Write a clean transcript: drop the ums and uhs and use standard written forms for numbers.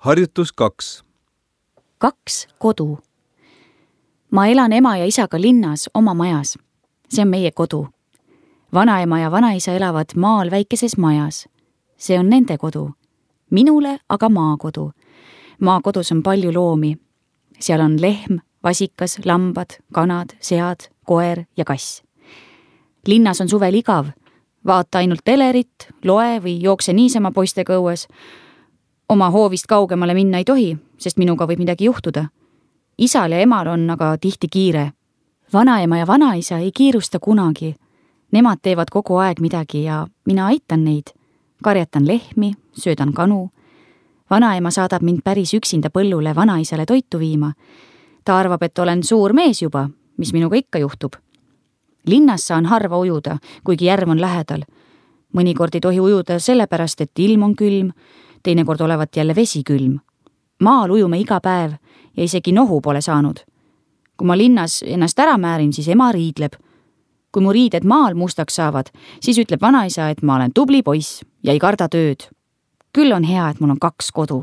Harjutus 2. 2 kodu. Ma elan ema ja isaga linnas oma majas. See on meie kodu. Vanaema ja vanaisa elavad maal väikeses majas. See on nende kodu. Minule aga maakodu. Maakodus on palju loomi. Seal on lehm, vasikas, lambad, kanad, sead, koer ja kass. Linnas on suvel igav. Vaata ainult telerit, loe või jookse niisama poistega õues. Oma hoovist kaugemale minna ei tohi, sest minuga võib midagi juhtuda. Isal ja emal on aga tihti kiire. Vanaema ja vanaisa ei kiirusta kunagi. Nemad teevad kogu aeg midagi ja mina aitan neid. Karjatan lehmi, söödan kanu. Vanaema saadab mind päris üksinda põllule vanaisale toitu viima. Ta arvab, et olen suur mees juba, mis minuga ikka juhtub. Linnas saan harva ujuda, kuigi järv on lähedal. Mõnikord ei tohi ujuda sellepärast, et ilm on külm, teinekord olevat jälle vesi külm. Maal ujume iga päev ja isegi nohu pole saanud. Kui ma linnas ennast ära määrin, siis ema riidleb. Kui mu riided maal mustaks saavad, siis ütleb vanaisa, et ma olen tubli poiss ja ei karda tööd. Küll on hea, et mul on 2 kodu.